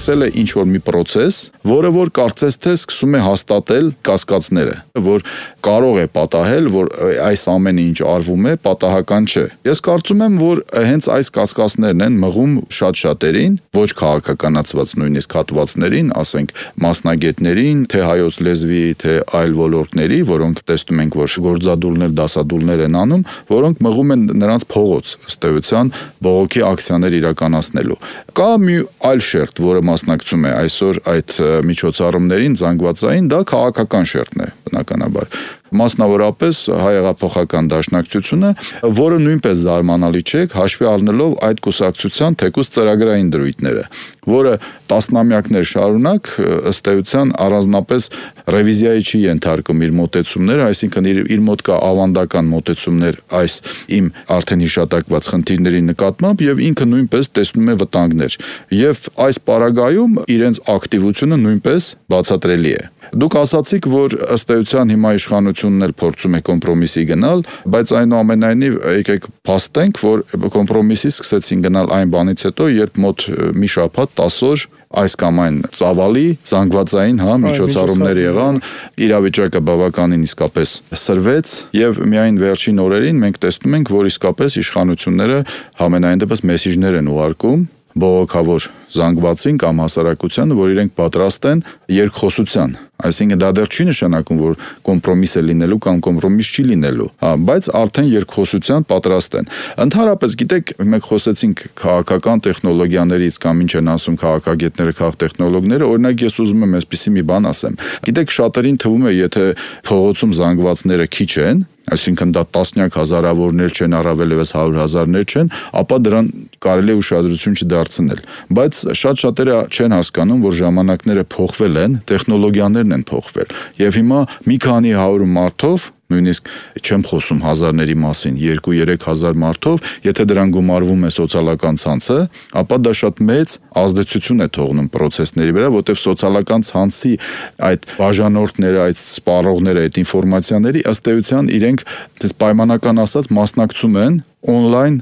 սկսել է ինչ-որ մի պրոցես, որը որ կարծես թե սկսում է հաստատել կասկածները, որ կարող է պատահել, որ այս ամենը ինչ արվում է, պատահական չէ։ Ես կարծում եմ, որ հենց այս կասկածներն են մղում շատ շատերին, ոչ քաղաքականացված նույնիսկ հատվածներին, ասենք մասնագետներին, թե հայոց լեզվի, թե այլ ոլորտների, որոնք տեսնում ենք, որ գործադուլներ, դասադուլներ են անում, որոնք մղում են նրանց փողոց, ըստ էության բողոքի ակցիաներ իրականացնելու։ Կա մի այլ շերտ, որը մասնակցում է այսօր այդ միջոցառումներին, զանգվածային, դա քաղաքական շերտն է, բնականաբար։ Մասնավորապես հայ-հեղափոխական դաշնակցությունը, որը նույնպես զարմանալի չէ, հաշվի առնելով այդ կուսակցության թեկուզ ծրագրային դրույթները, որը տասնամյակներ շարունակ ըստ էության առանձնապես ռևիզիայի չի ենթարկում իր մոտեցումները, այսինքն իր մոտ կա ավանդական մոտեցումներ այս իմ արդեն հիշատակված խնդիրների նկատմամբ եւ ինքը նույնպես տեսնում է վտանգներ եւ այս պարագայում իրենց ակտիվությունը նույնպես բացատրելի է։ Դուք ասացիք, որ ըստ էության հիմա իշխանությունն էլ փորձում է կոմպրոմիսի գնալ, բայց այնուամենայնիվ եկեք փաստենք, որ կոմպրոմիսի սկսեցին գնալ այն բանից հետո, երբ մոտ մի շաբաթ 10 օր այս կամ այն ծավալի զանգվածային միջոցառումներ եղան, իրավիճակը բավականին իսկապես սրվեց եւ միայն վերջին օրերին մենք տեսնում ենք, որ իսկապես իշխանությունները համենայն դեպս մեսիջներ են ուղարկում բողոքավոր զանգվածին կամ հասարակությանը, որ իրենք պատրաստ են երկխոսության։ Այսինքն դա դեռ չի նշանակում, որ կոմպրոմիս է լինելու կամ կոմպրոմիս չի լինելու, բայց արդեն երկխոսության պատրաստ են։ Ընդհանրապես, գիտեք, մենք խոսեցինք քաղաքական տեխնոլոգիաներից կամ ինչ են ասում քաղաքագետները, քաղաքտեխնոլոգները, օրինակ ես ուզում եմ այսպիսի մի բան ասեմ։ Գիտեք, շատերին թվում է, եթե փողոցում զանգվածները քիչ են, այսինքն դա տասնյակ հազարավորներ չեն, առավելևս 100,000-ներ չեն, ապա դրան կարելի է ուշադրություն չդարձնել։ Բայց շատ-շատերը չեն հասկանում, որ ժամանակները փոխվել են, տեխնոլոգիաներն են փոխվել։ Եվ հիմա մի քանի 100 մարդով, նույնիսկ չեմ խոսում հազարների մասին, 2-3 հազար մարդով, եթե դրան գումարվում է սոցիալական ցանցը, ապա դա շատ մեծ ազդեցություն է թողնում process-ների վրա, որտեղ սոցիալական ցանցի այդ բաժանորդները, այդ սպառողները, այդ ինֆորմացիաների ըստ էության իրենք դες պայմանական ասած մասնակցում են on-line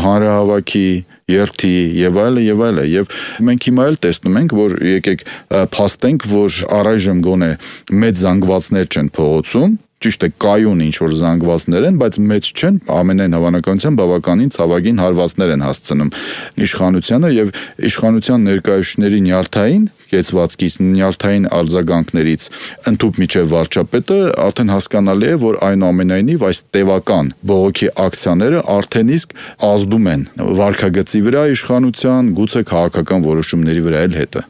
հանրահավաքի, երթի եւ այլը եւ այլը եւ մենք հիմա էլ տեսնում ենք, որ եկեք փաստենք, որ առայժմ գոնե մեծ զանգվածներ չեն փողոցում, ճիշտ է կայուն ինչ-որ զանգվածներ են, բայց մեծ չեն, ամենայն հավանականությամբ բավականին ցավագին հարվածներ են հասցնում իշխանությանը եւ իշխանության ներկայացուցիչների նյարդային կեցվածքից, նյարդային արձագանքներից ընդཐུպ միջև վարչապետը արդեն հասկանալի է, որ այնուամենայնիվ այս տևական բողոքի ակցիաները արդեն իսկ ազդում են վարքագծի վրա իշխանության, գուցե քաղաքական որոշումների վրա էլ հետը։